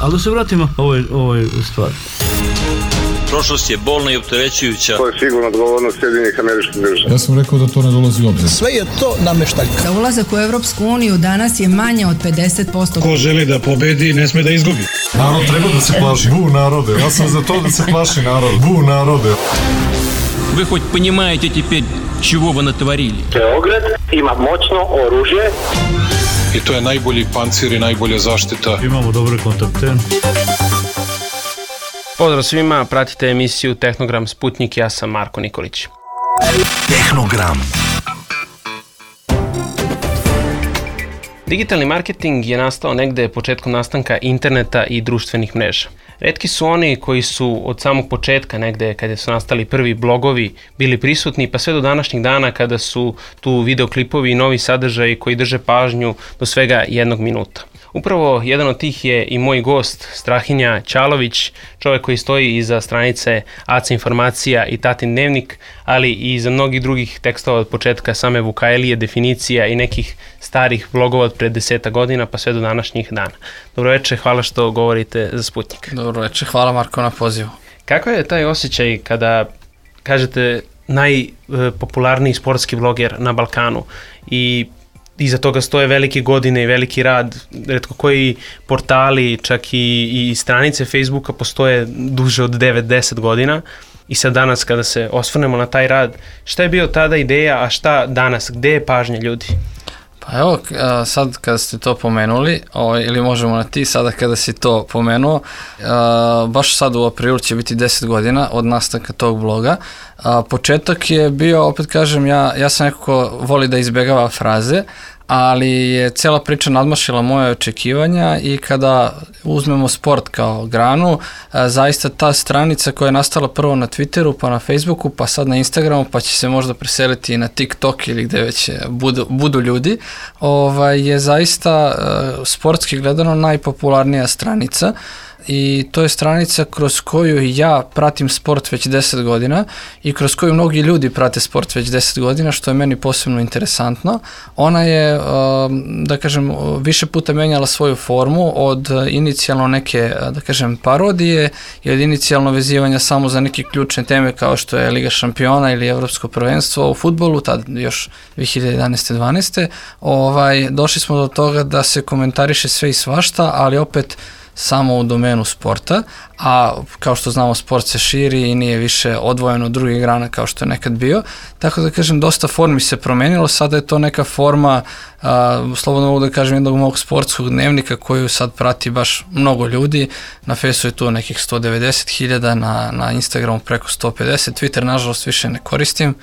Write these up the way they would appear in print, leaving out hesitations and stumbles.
Ali da se vratimo ovoj stvari. Prošlost je bolna i opterećujuća. To je sigurno odgovornost Sjedinjenih Američkih Država. Ja sam rekao da to ne dolazi u obzir. Sve je to nameštaljka. Za ulazak u Evropsku uniju danas je manje od 50%. Ko želi da pobedi, ne sme da izgubi. Narod treba da se plaši. Bu narode. Ja sam za to da se plaši narod. Bu narode. Вы хоть понимаете теперь, чего вы натворили? Beograd ima moćno oružje. I to je najbolji pancir i najbolja zaštita. Imamo dobre kontakte. Pozdrav svima, pratite emisiju Tehnogram Sputnik, ja sam Marko Nikolić. Tehnogram. Digitalni marketing je nastao negde početkom nastanka interneta i društvenih mreža. Retki su oni koji su od samog početka, negde kada su nastali prvi blogovi, bili prisutni, pa sve do današnjih dana kada su tu videoklipovi i novi sadržaji koji drže pažnju do svega 1 minuta. Upravo jedan od tih je i moj gost, Strahinja Ćalović, čovjek koji stoji iza stranice AC Informacija i Tatin dnevnik, ali i iza mnogih drugih tekstova od početka same Vukajlije, definicija i nekih starih blogova od pred 10 godina pa sve do današnjih dana. Dobro večer, hvala što govorite za Sputnik. Dobro večer, hvala Marko na pozivu. Kako je taj osjećaj kada kažete najpopularniji sportski bloger na Balkanu i iza toga stoje velike godine i veliki rad, retko koji portali, čak i stranice Facebooka postoje duže od 9-10 godina i sad danas kada se osvrnemo na taj rad, šta je bio tada ideja, a šta danas, gde je pažnja ljudi? Pa evo, sad kada ste to pomenuli, ili možemo na ti, sada kada si to pomenuo, baš sad u aprilu će biti 10 godina od nastanka tog bloga. Početak je bio, opet kažem, ja sam neko ko voli da izbjegava fraze, ali je cela priča nadmašila moje očekivanja i kada uzmemo sport kao granu, zaista ta stranica koja je nastala prvo na Twitteru, pa na Facebooku, pa sad na Instagramu, pa će se možda preseliti i na TikTok ili gde već budu ljudi, je zaista sportski gledano najpopularnija stranica. I to je stranica kroz koju ja pratim sport već 10 godina i kroz koju mnogi ljudi prate sport već 10 godina, što je meni posebno interesantno. Ona je, da kažem, više puta menjala svoju formu od inicijalno neke, da kažem, parodije i od inicijalno vezivanja samo za neke ključne teme kao što je Liga šampiona ili Evropsko prvenstvo u fudbalu, tad još 2011-12. Došli smo do toga da se komentariše sve i svašta, ali opet samo u domenu sporta, a kao što znamo sport se širi i nije više odvojeno od drugih grana kao što je nekad bio, tako da kažem dosta formi se promenilo, sada je to neka forma, slobodno mogu da kažem, jednog mog sportskog dnevnika koju sad prati baš mnogo ljudi, na Facebooku je tu nekih 190.000, na Instagramu preko 150, Twitter nažalost više ne koristim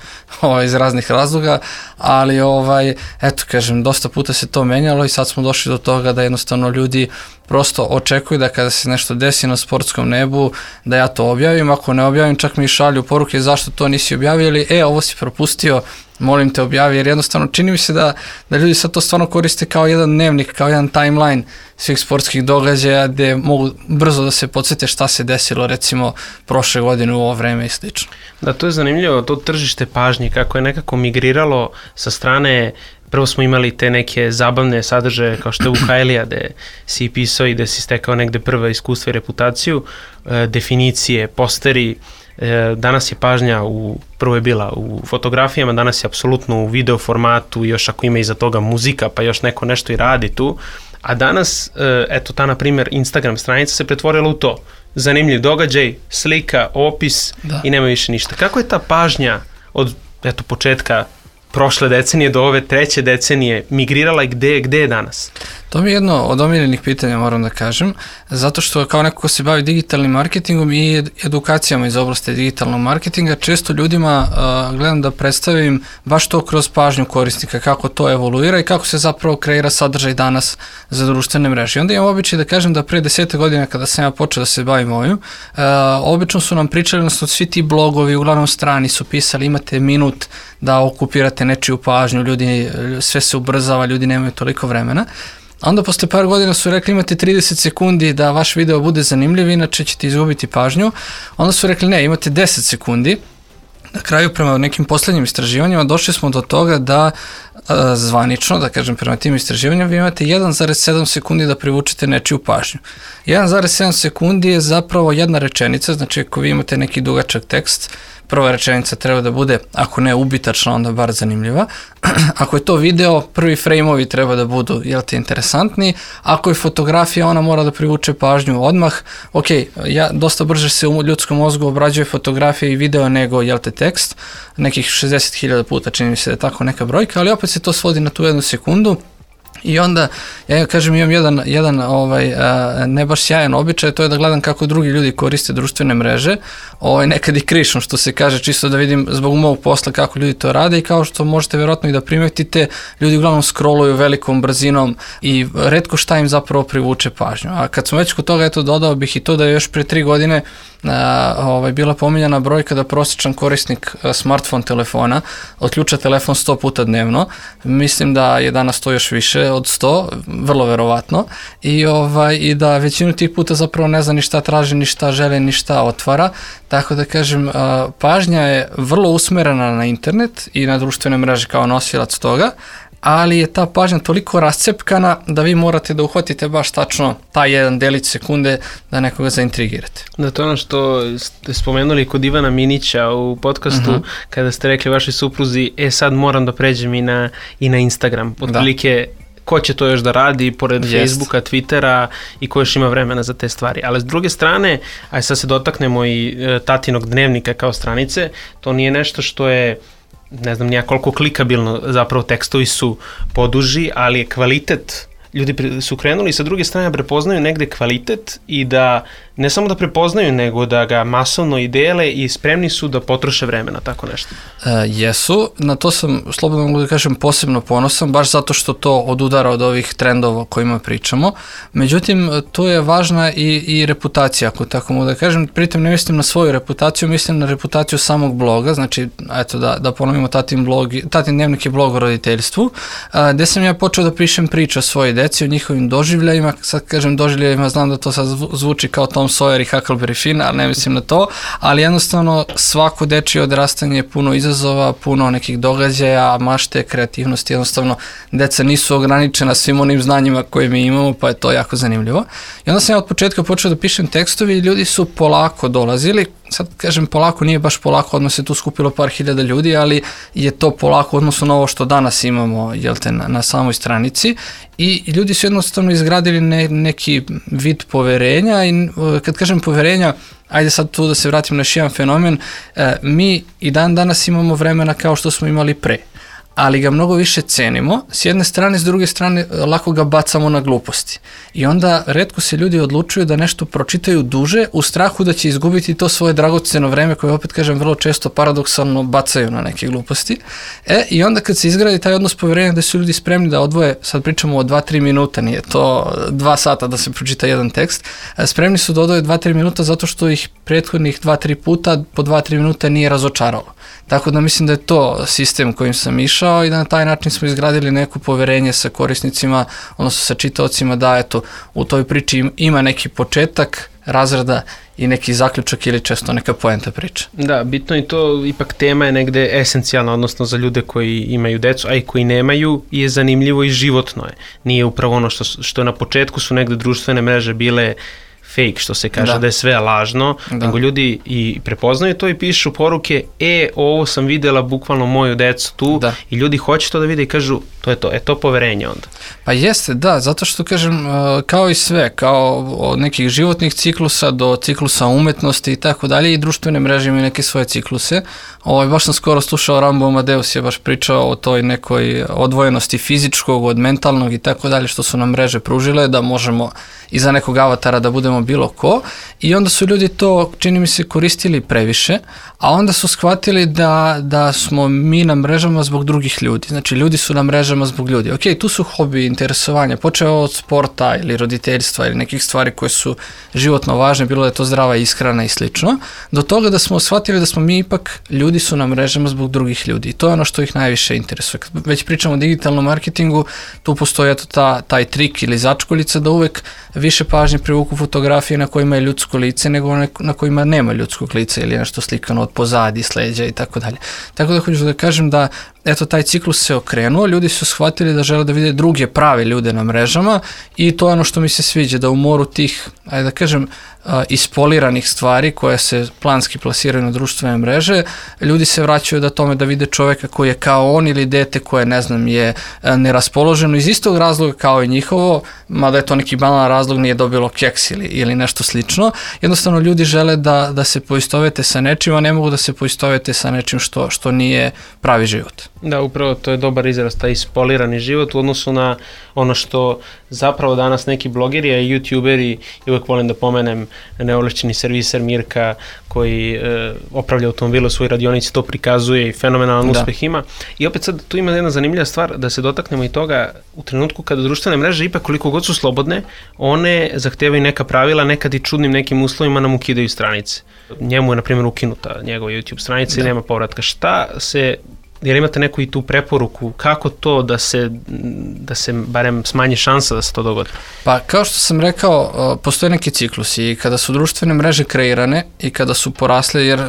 iz raznih razloga, ali eto kažem, dosta puta se to menjalo i sad smo došli do toga da jednostavno ljudi prosto očekuju da kada se nešto desi na sportskom nebu, da ja to objavim, ako ne objavim čak mi i šalju poruke zašto to nisi objavio ili ovo si propustio, molim te objavi, jer jednostavno čini mi se da ljudi sad to stvarno koriste kao jedan dnevnik, kao jedan timeline svih sportskih događaja gde mogu brzo da se podsjete šta se desilo recimo prošle godine u ovo vreme i slično. Da, to je zanimljivo, to tržište pažnje kako je nekako migriralo sa strane. Prvo smo imali te neke zabavne sadržaje kao što je Vukajlija, gde si pisao i gde si stekao negde prve iskustva i reputaciju, definicije, posteri. Danas je pažnja, prvo je bila u fotografijama, danas je apsolutno u video formatu, još ako ima iza toga muzika, pa još neko nešto i radi tu. A danas, eto ta, na primjer, Instagram stranica se pretvorila u to. Zanimljiv događaj, slika, opis i nema više ništa. Kako je ta pažnja od početka prošle decenije do ove treće decenije migrirala i gde je danas? To mi je jedno od omiljenih pitanja, moram da kažem, zato što kao neko ko se bavi digitalnim marketingom i edukacijama iz oblasti digitalnog marketinga, često ljudima gledam da predstavim baš to kroz pažnju korisnika, kako to evoluira i kako se zapravo kreira sadržaj danas za društvene mreže. I onda imam običaj da kažem da pre 10 godina kada sam ja počeo da se bavim ovim, obično su nam pričali, odnosno svi ti blogovi, uglavnom strani su pisali, imate minut da okupirate nečiju pažnju, ljudi, sve se ubrzava, ljudi nemaju toliko vremena. Onda posle par godina su rekli imate 30 sekundi da vaš video bude zanimljiv, inače ćete izgubiti pažnju. Onda su rekli ne, imate 10 sekundi. Na kraju, prema nekim poslednjim istraživanjima, došli smo do toga da zvanično, da kažem prema tim istraživanjima, vi imate 1,7 sekundi da privučete nečiju pažnju. 1,7 sekundi je zapravo jedna rečenica, znači ako vi imate neki dugačak tekst, prva rečenica treba da bude, ako ne ubitačna, onda bar zanimljiva. Ako je to video, prvi frame-ovi treba da budu, interesantni. Ako je fotografija, ona mora da privuče pažnju odmah. Ok, dosta brže se u ljudskom mozgu obrađuje fotografija i video nego, tekst. Nekih 60.000 puta, čini mi se da je tako neka brojka, ali opet se to svodi na tu 1 sekundu. I onda, ja kažem, imam jedan ne baš sjajan običaj, to je da gledam kako drugi ljudi koriste društvene mreže, nekad i krišom, što se kaže, čisto da vidim zbog mog posla kako ljudi to rade i kao što možete vjerojatno i da primetite, ljudi uglavnom scrolluju velikom brzinom i retko šta im zapravo privuče pažnju. A kad smo već kod toga, dodao bih i to da je još pre 3 godine bila pominjana brojka da prosječan korisnik smartphone telefona otključa telefon 100 puta dnevno. Mislim da je danas to još više od 100, vrlo verovatno, i da većinu tih puta zapravo ne zna ni šta traži, ni šta želi, ni šta otvara. Tako da kažem, pažnja je vrlo usmerena na internet i na društvene mreže kao nosilac toga, ali je ta pažnja toliko rascepkana da vi morate da uhvatite baš tačno taj jedan delić sekunde da nekoga zaintrigirate. Da, to je ono što ste spomenuli kod Ivana Minića u podcastu, kada ste rekli vašoj supruzi, sad moram da pređem i na Instagram. Otprilike, ko će to još da radi pored Facebooka, Twittera i ko još ima vremena za te stvari. Ali s druge strane, aj sad se dotaknemo i tatinog dnevnika kao stranice, to nije nešto što je, ne znam nija koliko klikabilno, zapravo tekstovi su poduži, ali je kvalitet, ljudi su krenuli sa druge strane prepoznaju negde kvalitet i da ne samo da prepoznaju, nego da ga masovno i dele i spremni su da potroše vremena, tako nešto. Jesu, na to sam, slobodno mogu da kažem, posebno ponosan, baš zato što to odudara od ovih trendova o kojima pričamo. Međutim, tu je važna i reputacija, ako tako mogu da kažem. Pritom ne mislim na svoju reputaciju, mislim na reputaciju samog bloga, znači, eto da ponovimo, Tatin dnevnik je blog o roditeljstvu, gde sam ja počeo da pišem priče o svojoj deci, o njihovim doživljajima. Sad kažem doživljajima, znam da to sad zvuči kao Tom Sawyer i Huckleberry Finn, ali ne mislim na to, ali jednostavno svako dečije odrastanje je puno izazova, puno nekih događaja, mašte, kreativnosti, jednostavno deca nisu ograničena svim onim znanjima koje mi imamo, pa je to jako zanimljivo. I onda sam ja od početka počeo da pišem tekstovi i ljudi su polako dolazili. Sad kažem polako, nije baš polako, odmah se tu skupilo par hiljada ljudi, ali je to polako odnosno na ovo što danas imamo na samoj stranici i ljudi su jednostavno izgradili neki vid poverenja i kad kažem poverenja, ajde sad tu da se vratim na još jedan fenomen, mi i danas imamo vremena kao što smo imali pre, ali ga mnogo više cenimo, s jedne strane, s druge strane lako ga bacamo na gluposti. I onda retko se ljudi odlučuju da nešto pročitaju duže u strahu da će izgubiti to svoje dragoceno vreme koje, opet kažem, vrlo često paradoksalno bacaju na neke gluposti. I onda kad se izgradi taj odnos poverenja da su ljudi spremni da odvoje, sad pričamo o 2-3 minuta, nije to 2 sata da se pročita jedan tekst, spremni su da odvoje 2-3 minuta zato što ih prethodnih 2-3 puta po 2-3 minuta nije razočaralo. Tako da mislim da je to sistem kojim sam išao i da na taj način smo izgradili neko poverenje sa korisnicima, odnosno sa čitaocima, da eto, u toj priči ima neki početak, razrada i neki zaključak ili često neka poenta priče. Da, bitno je to, ipak tema je negde esencijalna, odnosno za ljude koji imaju decu, a i koji nemaju, je zanimljivo i životno je. Nije upravo ono što na početku su negde društvene mreže bile fake, što se kaže da je sve lažno, nego ljudi i prepoznaju to i pišu poruke, ovo sam videla bukvalno moju decu tu i ljudi hoće to da vide i kažu, to je to, to poverenje onda. Pa jeste, da, zato što kažem, kao i sve, kao od nekih životnih ciklusa do ciklusa umetnosti i tako dalje, i društvene mreže imaju neke svoje cikluse. Baš sam skoro slušao, Rambo Amadeus je baš pričao o toj nekoj odvojenosti fizičkog od mentalnog i tako dalje, što su nam mreže pružile, da možemo iza nekog avatara da budemo bilo ko, i onda su ljudi to, čini mi se, koristili previše, a onda su shvatili da smo mi na mrežama zbog drugih ljudi. Znači, ljudi su na mrežama zbog ljudi. Ok, tu su hobi, interesovanja, počeo od sporta ili roditeljstva ili nekih stvari koje su životno važne, bilo da je to zdrava ishrana i slično, do toga da smo shvatili da smo mi ipak, ljudi su na mrežama zbog drugih ljudi. I to je ono što ih najviše interesuje. Kad već pričamo o digitalnom marketingu, tu postoji taj trik ili začkoljica da uvek više pažnje privuku fotografije na kojima je ljudsko lice nego na kojima nema ljudskog lica ili nešto slikano od pozadi, sleđa i tako dalje. Tako da hoću da kažem da eto taj ciklus se okrenuo, ljudi su shvatili da žele da vide druge prave ljude na mrežama i to je ono što mi se sviđa, da u moru tih, ajde da kažem, ispoliranih stvari koje se planski plasiraju na društvene mreže, ljudi se vraćaju da tome da vide čoveka koji je kao on ili dete koje, ne znam, je neraspoloženo iz istog razloga kao i njihovo, mada je to neki banalan razlog, nije dobilo keks ili nešto slično. Jednostavno ljudi žele da se poistovete sa nečim, a ne mogu da se poistovete sa nečim što nije pravi život. Da, upravo to je dobar izraz, taj ispolirani život u odnosu na ono što zapravo danas neki blogeri, a i youtuberi, i uvek volim da pomenem neovlašćeni serviser Mirka koji opravlja automobile u svojoj radionici, to prikazuje i fenomenalan uspeh ima. I opet sad tu ima jedna zanimljiva stvar da se dotaknemo i toga u trenutku kada društvene mreže ipak koliko god su slobodne, one zahtevaju neka pravila, nekad i čudnim nekim uslovima nam ukidaju stranice. Njemu je na primjer ukinuta njegova YouTube stranica i nema povratka. Jer imate neku i tu preporuku kako to da se barem smanji šansa da se to dogodi? Pa kao što sam rekao, postoje neki ciklusi i kada su društvene mreže kreirane i kada su porasle, jer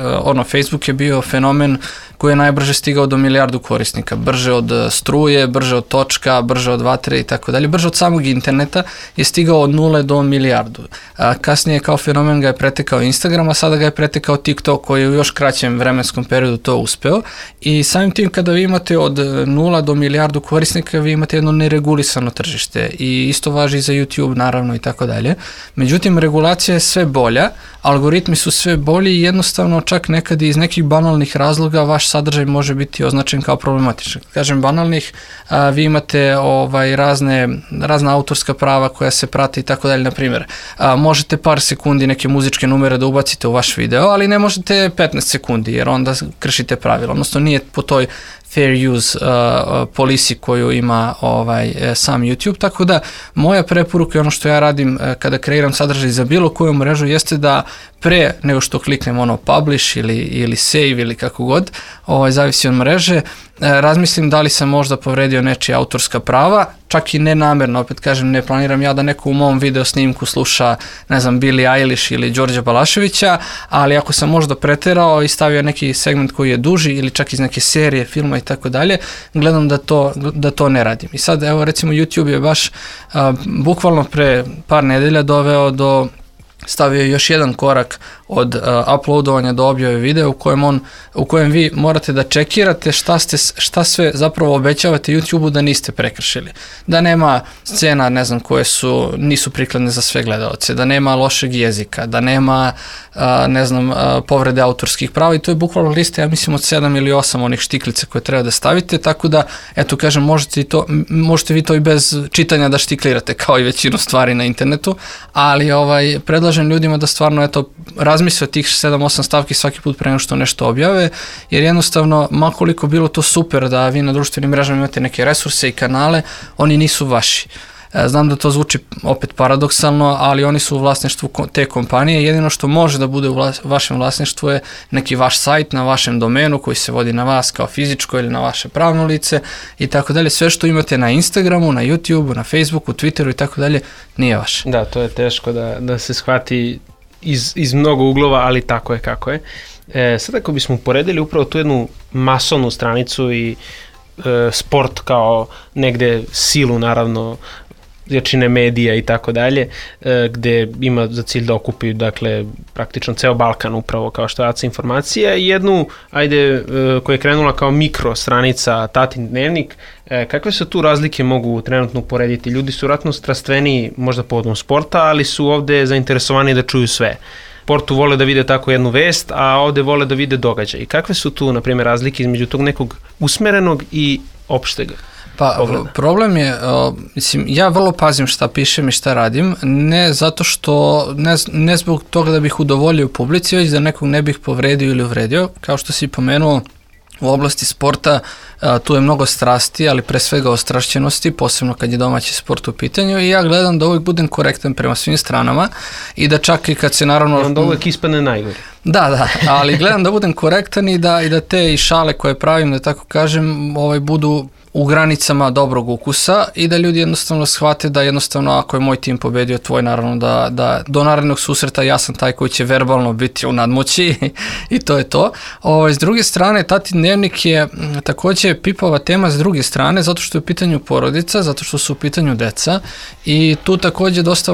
Facebook je bio fenomen koji je najbrže stigao do milijardu korisnika, brže od struje, brže od točka, brže od vatre i tako dalje, brže od samog interneta je stigao od 0 do milijardu. Kasnije kao fenomen ga je pretekao Instagram, a sada ga je pretekao TikTok koji je u još kraćem vremenskom periodu to uspeo i samim tim kada vi imate od 0 do milijardu korisnika, vi imate jedno neregulisano tržište i isto važi i za YouTube naravno i tako dalje. Međutim, regulacija je sve bolja, algoritmi su sve bolji i jednostavno čak nekad iz nekih banalnih razloga vaš sadržaj može biti označen kao problematičan. Kažem banalnih, vi imate razna autorska prava koja se prate i tako dalje, na primjer. Možete par sekundi neke muzičke numere da ubacite u vaš video, ali ne možete 15 sekundi jer onda kršite pravila, odnosno nije po toj fair use policy koju ima sam YouTube, tako da moja preporuka i ono što ja radim kada kreiram sadržaj za bilo koju mrežu jeste da pre nego što kliknem publish ili save ili kako god, zavisi od mreže, razmislim da li sam možda povredio nečija autorska prava, čak i nenamerno, opet kažem, ne planiram ja da neko u mom video snimku sluša, ne znam, Billie Eilish ili Đorđa Balaševića, ali ako sam možda preterao i stavio neki segment koji je duži ili čak iz neke serije, filma i tako dalje, gledam da to ne radim. I sad, evo recimo YouTube je baš bukvalno pre par nedelja stavio još jedan korak od uploadovanja do objave videa u kojem vi morate da čekirate šta sve zapravo obećavate YouTube-u da niste prekršili. Da nema scena, ne znam, koje nisu prikladne za sve gledalce, da nema lošeg jezika, da nema, ne znam, povrede autorskih prava i to je bukvalno lista, ja mislim, od 7 ili 8 onih štiklica koje treba da stavite, tako da, eto, kažem, možete vi to i bez čitanja da štiklirate, kao i većinu stvari na internetu, ali predlažem ljudima da stvarno, eto, razmisle tih 7-8 stavki svaki put pre nego što nešto objave, jer jednostavno, makoliko bilo to super da vi na društvenim mrežama imate neke resurse i kanale, oni nisu vaši. Znam da to zvuči opet paradoksalno, ali oni su u vlasništvu te kompanije. Jedino što može da bude u vašem vlasništvu je neki vaš sajt na vašem domenu koji se vodi na vas kao fizičko ili na vaše pravno lice i tako dalje. Sve što imate na Instagramu, na YouTubeu, na Facebooku, Twitteru i tako dalje nije vaše. Da, to je teško da se shvati iz mnogo uglova, ali tako je kako je. Sad ako bismo uporedili upravo tu jednu masovnu stranicu i sport kao negde silu, naravno, jačine medija i tako dalje, gde ima za cilj da okupi, dakle, praktično ceo Balkan upravo kao što je ACA informacija i jednu, koja je krenula kao mikro stranica Tatin dnevnik. Kakve su tu razlike mogu trenutno uporediti? Ljudi su vratno strastveniji možda povodom sporta, ali su ovde zainteresovani da čuju sve. Sportu vole da vide tako jednu vest, a ovde vole da vide događaj. I kakve su tu, na primjer, razlike između tog nekog usmerenog i opštega? Pa problem je, mislim, ja vrlo pazim šta pišem i šta radim, ne zato što, ne zbog toga da bih udovoljio publici, već da nekog ne bih povredio ili uvredio. Kao što si pomenuo, u oblasti sporta tu je mnogo strasti, ali pre svega ostrašćenosti, posebno kad je domaći sport u pitanju i ja gledam da uvijek budem korektan prema svim stranama i da čak i kad se naravno... Onda uvijek ispadne najgore. Da, ali gledam da budem korektan i da te i šale koje pravim, da tako kažem, budu u granicama dobrog ukusa i da ljudi jednostavno shvate da jednostavno ako je moj tim pobedio tvoj, naravno da do narednog susreta ja sam taj koji će verbalno biti u nadmoći i to je to. S druge strane, Tatin dnevnik je takođe takođe pipava tema s druge strane, zato što je u pitanju porodica, zato što su u pitanju deca i tu takođe dosta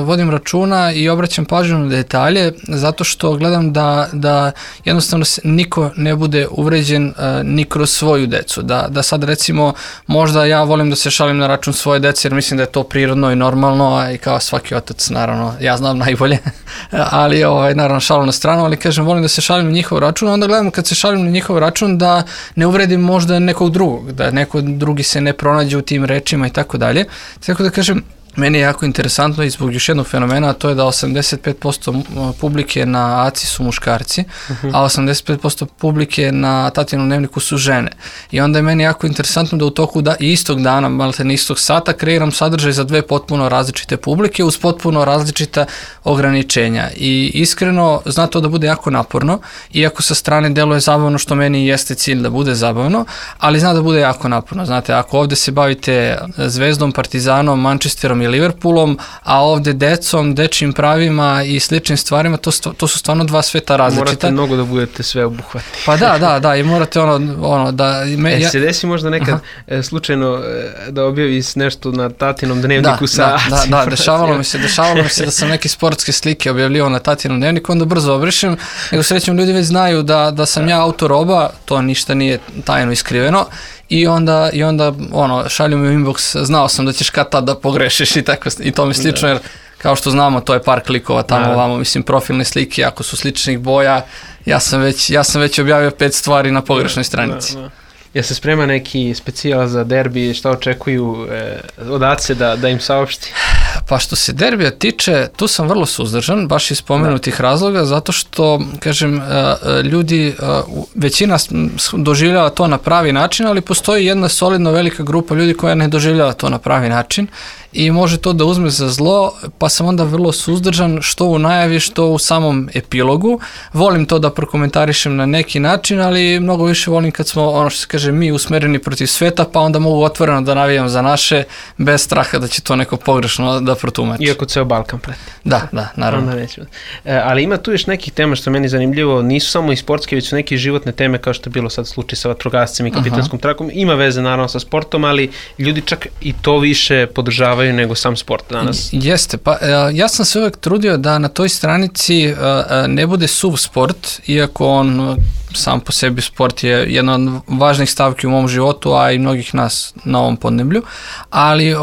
vodim računa i obraćam pažnju na detalje, zato što gledam da jednostavno niko ne bude uvređen ni kroz svoju decu. Da sad recimo, možda ja volim da se šalim na račun svoje dece, jer mislim da je to prirodno i normalno, i kao svaki otac, naravno, ja znam najbolje, ali naravno šalim na stranu, ali kažem, volim da se šalim na njihov račun, onda gledam kad se šalim na njihov račun da ne uvredim možda nekog drugog, da neko drugi se ne pronađe u tim rečima i tako dalje. Tako da kažem, meni je jako interesantno i zbog još jednog fenomena, a to je da 85% publike na ACI su muškarci, a 85% publike na Tatinom dnevniku su žene. I onda je meni jako interesantno da u toku istog dana, maltene istog sata, kreiram sadržaj za dve potpuno različite publike uz potpuno različita ograničenja. I iskreno, zna to da bude jako naporno, iako sa strane deluje zabavno, što meni jeste cilj da bude zabavno, ali zna da bude jako naporno. Znate, ako ovde se bavite Zvezdom, Partizanom, Manchesterom i Liverpoolom, a ovde decom, dečjim pravima i sličnim stvarima, to su stvarno dva sveta različita. Morate mnogo da budete sve obuhvatni. Pa da, i morate da... se desi možda nekad slučajno da objavi nešto na Tatinom dnevniku Da, dešavalo mi se da sam neke sportske slike objavljivao na Tatinom dnevniku, onda brzo obrišem, nego srećom ljudi već znaju da sam ja autor oba, to ništa nije tajno iskriveno, i onda šalju mi u inbox, znao sam da ćeš kad tad da pogrešiš i to mi slično, jer kao što znamo, to je par klikova tamo ovamo, mislim, profilne slike, ako su sličnih boja, ja sam već objavio 5 stvari na pogrešnoj stranici. Ja se sprema neki specijal za derbi, šta očekuju od ACE da im saopšti? Pa što se derbija tiče, tu sam vrlo suzdržan, baš iz spomenutih razloga, zato što, kažem, ljudi, većina doživljava to na pravi način, ali postoji jedna solidno velika grupa ljudi koja ne doživljava to na pravi način i može to da uzme za zlo, pa sam onda vrlo suzdržan, što u najavi, što u samom epilogu. Volim to da prokomentarišem na neki način, ali mnogo više volim kad smo, ono što se kaže, mi usmereni protiv sveta, pa onda mogu otvoreno da navijam za naše, bez straha da će to neko pogrešno da protumači. Iako ceo Balkan preti. Da, naravno. Ali ima tu još nekih tema što meni zanimljivo, nisu samo i sportske, već su neke životne teme, kao što je bilo sad slučaj sa vatrogascem i kapitanskom trakom. Ima veze naravno sa sportom, ali ljudi čak i to više podržavaju nego sam sport danas. Jeste, pa ja sam se uvek trudio da na toj stranici ne bude suv sport, iako on sam po sebi sport je jedna od važnih stavki u mom životu, a i mnogih nas na ovom podneblju, ali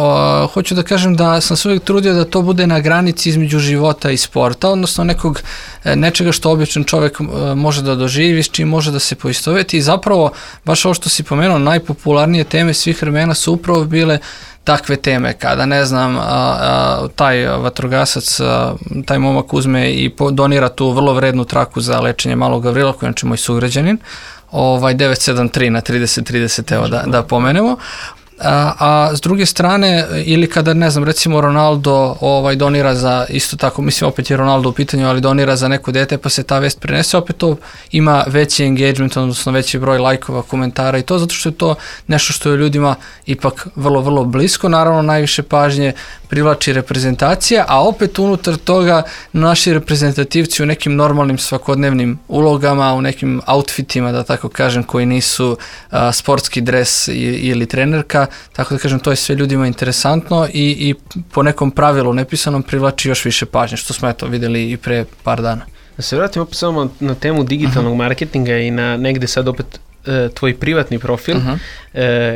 hoću da kažem da sam se uvek trudio da to bude na granici između života i sporta, odnosno nečega što običan čovek može da doživi, s čim može da se poistoveti i zapravo, baš ovo što si pomenuo, najpopularnije teme svih vremena su upravo bile takve teme, kada, ne znam, taj vatrogasac, taj momak uzme i donira tu vrlo vrednu traku za lečenje malog Gavrila, koji je znači moj sugrađanin, 973 na 3030, evo da pomenemo. A s druge strane, ili kada, ne znam, recimo Ronaldo donira za, isto tako, mislim opet je Ronaldo u pitanju, ali donira za neko dete, pa se ta vest prenese, opet to ima veći engagement, odnosno veći broj lajkova, komentara i to, zato što je to nešto što je ljudima ipak vrlo, vrlo blisko. Naravno, najviše pažnje privlači reprezentacija, a opet unutar toga naši reprezentativci u nekim normalnim svakodnevnim ulogama, u nekim outfitima, da tako kažem, koji nisu sportski dres ili trenerka, tako da kažem, to je sve ljudima interesantno i po nekom pravilu nepisanom privlači još više pažnje, što smo videli i pre par dana. Da se vratim opet samo na temu digitalnog marketinga i na negde sad opet tvoj privatni profil,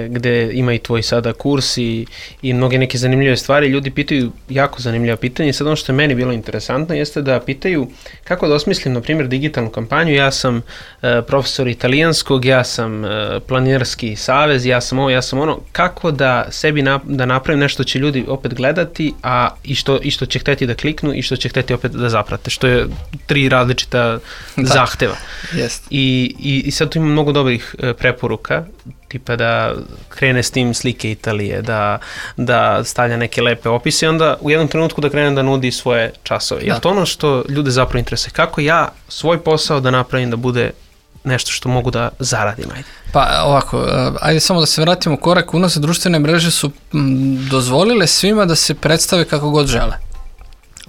gde ima i tvoj sada kurs i mnoge neke zanimljive stvari. Ljudi pitaju jako zanimljiva pitanja i sad ono što je meni bilo interesantno jeste da pitaju kako da osmislim, na primjer, digitalnu kampanju. Ja sam profesor italijanskog, ja sam planinarski savez, ja sam ovo, ja sam ono. Kako da sebi da napravim nešto će ljudi opet gledati, a i što će hteti da kliknu i što će hteti opet da zaprate, što je 3 različita zahteva. I sad tu ima mnogo dobrih preporuka, tipa da krene s tim slike Italije, da stavlja neke lepe opise i onda u jednom trenutku da krene da nudi svoje časove. Je to ono što ljude zapravo interesuje? Kako ja svoj posao da napravim da bude nešto što mogu da zaradim? Pa ovako, ajde samo da se vratimo korak unazad. Društvene mreže su dozvolile svima da se predstave kako god žele.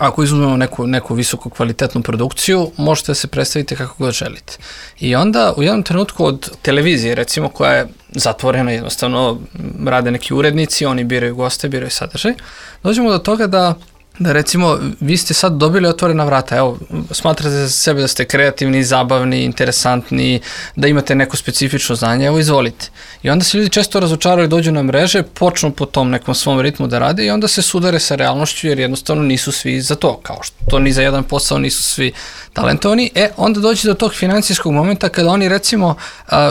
ako izuzmemo neku visoko kvalitetnu produkciju, možete da se predstavite kako god želite. I onda u jednom trenutku od televizije, recimo, koja je zatvorena, jednostavno rade neki urednici, oni biraju goste, biraju sadržaj, dođemo do toga da recimo vi ste sad dobili otvorena vrata, evo, smatrate za sebe da ste kreativni, zabavni, interesantni, da imate neko specifično znanje, evo izvolite. I onda se ljudi često razočaraju, dođu na mreže, počnu po tom nekom svom ritmu da rade i onda se sudare sa realnošću jer jednostavno nisu svi za to, kao što ni za jedan posao nisu svi talentovani. Onda dođe do tog financijskog momenta kada oni recimo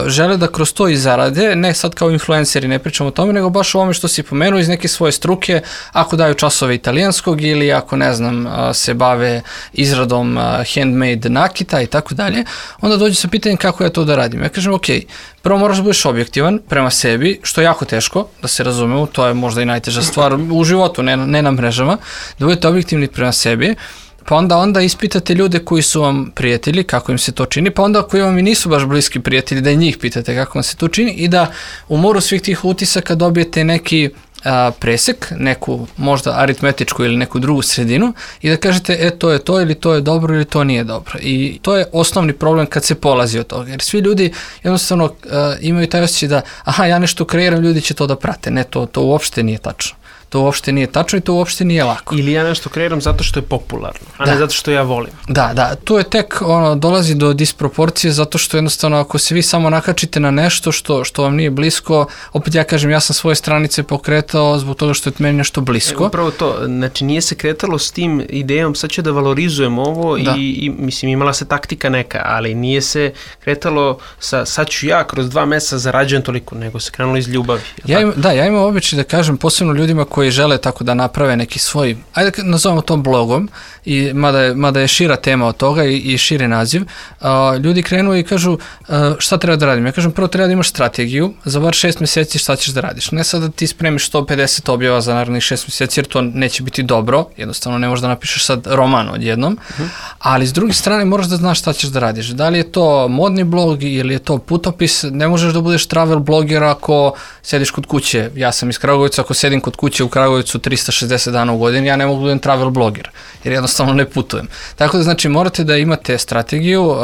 žele da kroz to i zarade, ne sad kao influenceri, ne pričamo o tome, nego baš o ovome što si pomenuo iz neke svoje struke, ako daju časove italijanskog ili ako, ne znam, se bave izradom handmade nakita i tako dalje, onda dođe sa pitanjem kako ja to da radim. Ja kažem, ok, prvo moraš da budeš objektivan prema sebi, što je jako teško, da se razumemo, to je možda i najteža stvar u životu, ne na mrežama, da budete objektivni prema sebi, pa onda ispitate ljude koji su vam prijatelji, kako im se to čini, pa onda koji vam i nisu baš bliski prijatelji, da i njih pitate kako vam se to čini i da u moru svih tih utisaka dobijete neki presek, neku možda aritmetičku ili neku drugu sredinu i da kažete to je to ili to je dobro ili to nije dobro. I to je osnovni problem kad se polazi od toga. Jer svi ljudi jednostavno imaju taj osjećaj da ja nešto kreiram, ljudi će to da prate. Ne, to uopšte nije tačno. To uopšte nije tačno i to uopšte nije lako. Ili ja nešto kreiram zato što je popularno, a ne zato što ja volim. Da, tu je tek dolazi do disproporcije zato što jednostavno ako se vi samo nakačite na nešto što vam nije blisko, opet ja kažem, ja sam svoje stranice pokretao zbog toga što je meni nešto blisko. Upravo to, znači nije se kretalo s tim idejom, sad ću da valorizujem ovo i mislim imala se taktika neka, ali nije se kretalo sa sad ću ja kroz 2 meseca zarađujem toliko, nego se krenulo iz ljubavi. Ja imam običaj da kažem posebno ljudima koji žele tako da naprave neki svoj, ajde nazovemo to blogom, i mada je šira tema od toga i širi naziv, ljudi krenu i kažu šta treba da radim. Ja kažem, prvo treba da imaš strategiju, za bar 6 meseci šta ćeš da radiš. Ne sad da ti spremiš 150 objava za narednih 6 meseci, jer to neće biti dobro, jednostavno ne možeš da napišeš sad roman odjednom, ali s druge strane moraš da znaš šta ćeš da radiš. Da li je to modni blog ili je to putopis, ne možeš da budeš travel bloger ako sediš kod kuće. Ja sam iz Kragujevca, ako sedim kod kuće u Kragujevcu 360 dana u godini, ja ne mogu da budem travel bloger, jer jednostavno ne putujem. Tako da znači morate da imate strategiju,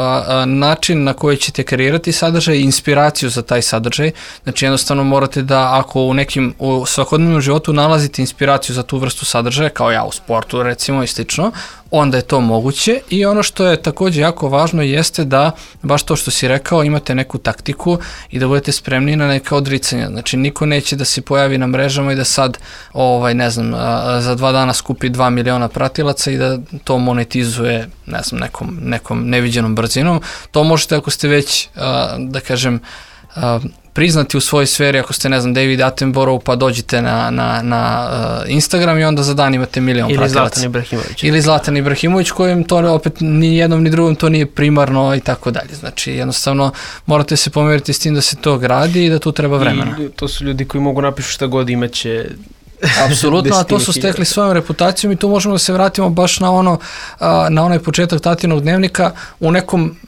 način na koji ćete kreirati sadržaj, inspiraciju za taj sadržaj. Znači jednostavno morate da ako u svakodnevnom životu nalazite inspiraciju za tu vrstu sadržaja, kao ja u sportu recimo i slično, onda je to moguće i ono što je također jako važno jeste da, baš to što si rekao, imate neku taktiku i da budete spremni na neka odricanja. Znači niko neće da se pojavi na mrežama i da sad, ne znam, za 2 dana skupi 2 miliona pratilaca i da to monetizuje, ne znam, nekom neviđenom brzinom. To možete ako ste već, da kažem, priznati u svojoj sferi, ako ste, ne znam, David Attenborough, pa dođite na Instagram i onda za dan imate milion pratilaca. Ili Zlatan Ibrahimović, kojem to opet ni jednom ni drugom to nije primarno i tako dalje. Znači, jednostavno, morate se pomeriti s tim da se to gradi i da tu treba vremena. I to su ljudi koji mogu napišu šta god, imaće... Apsolutno, a to su stekli svojom reputacijom i tu možemo da se vratimo baš na onaj početak Tatinog dnevnika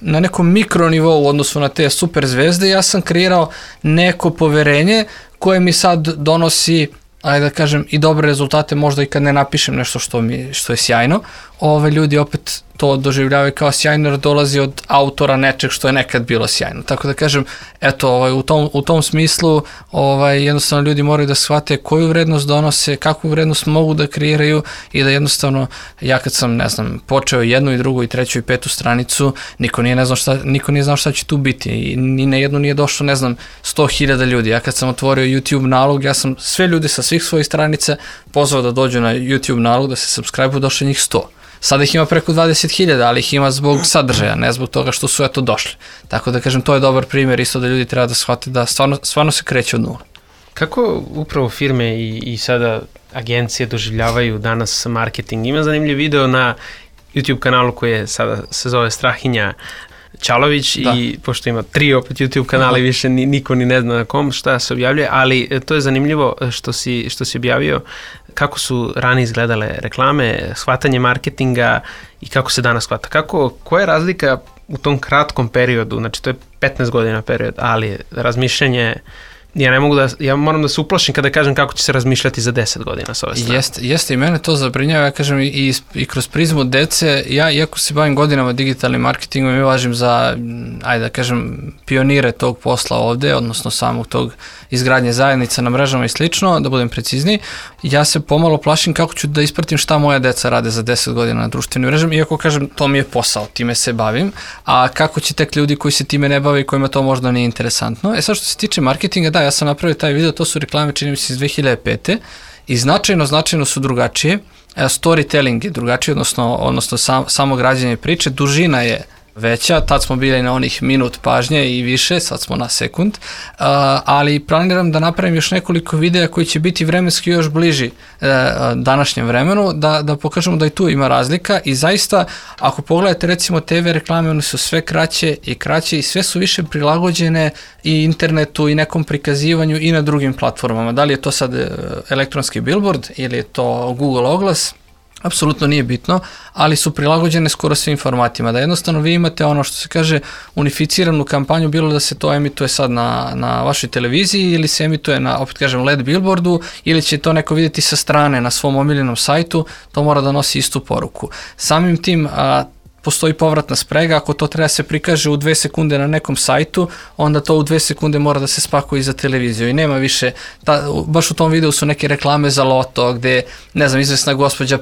na nekom mikronivou u odnosu na te super zvezde. Ja sam kreirao neko poverenje koje mi sad donosi, ajde da kažem, i dobre rezultate, možda i kad ne napišem nešto što je sjajno. Ljudi opet to doživljavaju kao sjajno jer dolazi od autora nečeg što je nekad bilo sjajno. Tako da kažem, eto, u tom smislu jednostavno ljudi moraju da shvate koju vrednost donose, kakvu vrednost mogu da kreiraju i da jednostavno, ja kad sam, ne znam, počeo 1. i 2. i 3. i 5. stranicu, niko nije znao šta će tu biti i ni na jednu nije došlo, ne znam, 100.000 ljudi. Ja kad sam otvorio YouTube nalog, ja sam sve ljude sa svih svojih stranica pozvao da dođu na YouTube nalog, da se subscribe-u, došlo njih 100. Sada ih ima preko 20.000, ali ih ima zbog sadržaja, ne zbog toga što su došli. Tako da kažem, to je dobar primjer isto da ljudi treba da shvate da stvarno se kreće od nula. Kako upravo firme i sada agencije doživljavaju danas marketing? Ima zanimljiv video na YouTube kanalu koji je sada se zove Strahinja Čalović i pošto ima 3 opet YouTube kanala i više niko ni ne zna na kom šta se objavljuje, ali to je zanimljivo što si objavio kako su ranije izgledale reklame, shvatanje marketinga i kako se danas shvata. Koja je razlika u tom kratkom periodu, znači to je 15 godina period, ali razmišljanje ja moram da se uplašim kada kažem kako će se razmišljati za 10 godina sa ove strane. Jeste i mene to zabrinjava, ja kažem i kroz prizmu dece, ja iako se bavim godinama digitalnim marketingom i važim za, ajde da kažem, pionire tog posla ovde, odnosno samog tog izgradnje zajednica na mrežama i slično, da budem precizniji, ja se pomalo plašim kako ću da ispratim šta moja deca rade za 10 godina na društvenim mrežama, iako kažem to mi je posao, time se bavim, a kako će tek ljudi koji se time ne bave i kojima to možda nije interesantno. Sad što se tiče marketinga, da, ja sam napravio taj video, to su reklame, čini mi se iz 2005. I značajno su drugačije. Storytelling je drugačiji, odnosno samo građenje priče, dužina je veća, tad smo bili na onih minut pažnje i više, sad smo na sekund, ali planiram da napravim još nekoliko videa koji će biti vremenski još bliži današnjem vremenu, da pokažemo da i tu ima razlika i zaista, ako pogledate recimo TV reklame, one su sve kraće i sve su više prilagođene i internetu i nekom prikazivanju i na drugim platformama. Da li je to sad elektronski billboard ili je to Google oglas, apsolutno nije bitno, ali su prilagođene skoro svim formatima, da jednostavno vi imate ono što se kaže unificiranu kampanju, bilo da se to emituje sad na vašoj televiziji ili se emituje na, opet kažem, LED billboardu ili će to neko vidjeti sa strane na svom omiljenom sajtu, to mora da nosi istu poruku. Samim tim, postoji povratna sprega, ako to treba se prikaže u 2 sekunde na nekom sajtu, onda to u 2 sekunde mora da se spakuje i za televiziju i nema više, baš u tom videu su neke reklame za loto gde, ne znam, izvesna gospođa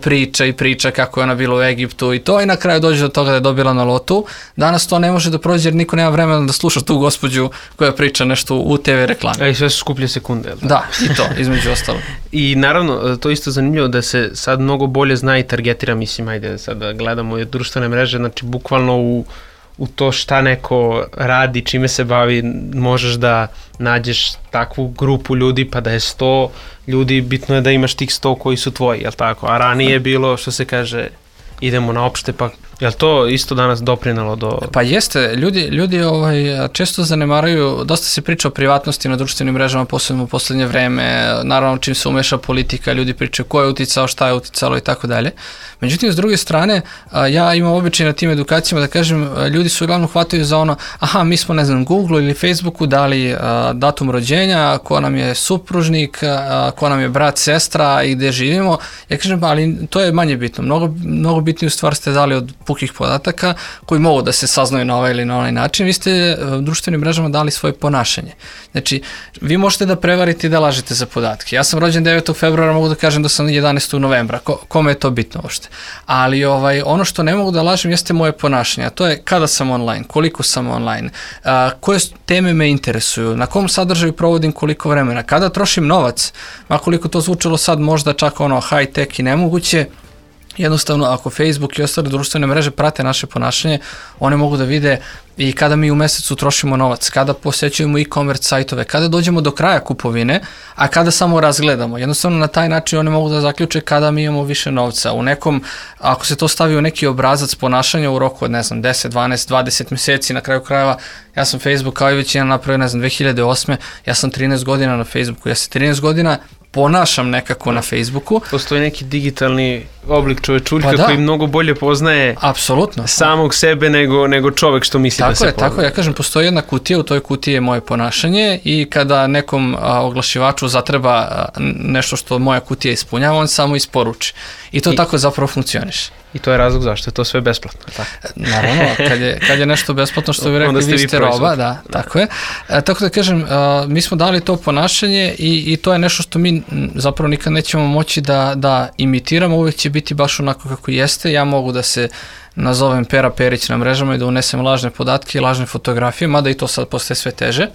priča kako je ona bila u Egiptu i to i na kraju dođe do toga da je dobila na lotu. Danas to ne može da prođe jer niko nema vremena da sluša tu gospođu koja priča nešto u TV reklame. I sve su skuplje sekunde. Da, i to, između ostalo. I naravno, to je isto zanimljivo da se sad mnogo bolje zna i targetira, mislim, ajde sad da gledamo društvene mreže, znači bukvalno u to šta neko radi, čime se bavi, možeš da nađeš takvu grupu ljudi, pa da je 100 ljudi, bitno je da imaš tih 100 koji su tvoji, jel tako? A ranije je bilo, što se kaže, idemo na opšte, pa jel to isto danas doprinalo do... Pa jeste, ljudi često zanemaraju, dosta se priča o privatnosti na društvenim mrežama, posebno u poslednje vreme, naravno čim se umeša politika, ljudi pričaju ko je uticao, šta je uticalo i tako dalje. Međutim, s druge strane, ja imam običaj na tim edukacijama da kažem, ljudi su uglavnom hvataju za ono, aha, mi smo, ne znam, Google ili Facebooku dali datum rođenja, ko nam je supružnik, ko nam je brat, sestra i gde živimo. Ja kažem, ali to je manje bitno. Mnogo bitniju stvar ste dali od pukih podataka koji mogu da se saznaju na ovaj ili na onaj način. Vi ste društvenim mrežama dali svoje ponašanje. Znači, vi možete da prevarite i da lažete za podatke. Ja sam rođen 9. februara, mogu da kažem da sam 11. novembra. Kome je to bitno uopšte? Ali ono što ne mogu da lažem jeste moje ponašanje, a to je kada sam online, koliko sam online, koje teme me interesuju, na kom sadržaju provodim koliko vremena, kada trošim novac, makoliko to zvučalo sad možda čak high tech i nemoguće. Jednostavno, ako Facebook i ostale društvene mreže prate naše ponašanje, one mogu da vide i kada mi u mesecu trošimo novac, kada posećujemo e-commerce sajtove, kada dođemo do kraja kupovine, a kada samo razgledamo. Jednostavno, na taj način one mogu da zaključe kada mi imamo više novca. U nekom, ako se to stavi u neki obrazac ponašanja u roku od, 10, 12, 20 meseci, na kraju krajeva, ja sam Facebook kao i većina napravio, 2008. Ja sam 13 godina na Facebooku, ja se 13 godina ponašam nekako na Facebooku. Postoji neki digitalni oblik čovečuljka koji mnogo bolje poznaje samog sebe nego čovek što misli da se poznaje. Tako je, ja kažem, postoji jedna kutija, u toj kutiji je moje ponašanje i kada nekom oglašivaču zatreba nešto što moja kutija ispunjava, on samo isporuči. I to tako zapravo funkcioniše. I to je razlog zašto je to sve besplatno. Tako? Naravno, kad je nešto besplatno, što vi rekli, vi ste roba, da, tako je. Tako da kažem, mi smo dali to ponašanje i to je nešto što mi zapravo nikad nećemo moći da imitiramo, uvijek će biti baš onako kako jeste. Ja mogu da se nazovem Pera Perić na mrežama i da unesem lažne podatke i lažne fotografije, mada i to sad postaje sve teže,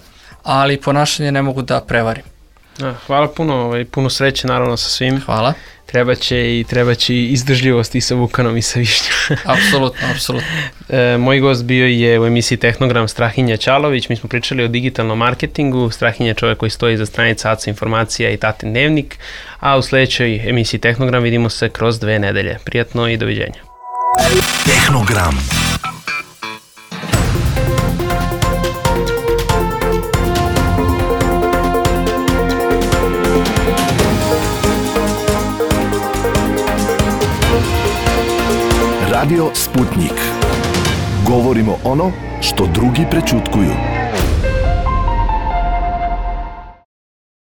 ali ponašanje ne mogu da prevarim. Hvala puno sreće naravno sa svim. Hvala. Treba će i izdržljivost i sa Vukanom i sa Višnjom. Apsolutno. Moj gost bio je u emisiji Tehnogram Strahinja Ćalović. Mi smo pričali o digitalnom marketingu. Strahinja je čovjek koji stoji iza stranica Aca Informacija i Tatin Dnevnik. A u sljedećoj emisiji Tehnogram vidimo se kroz 2 nedelje. Prijatno i doviđenja. Tehnogram. Radio Sputnik. Govorimo ono što drugi prećutkuju.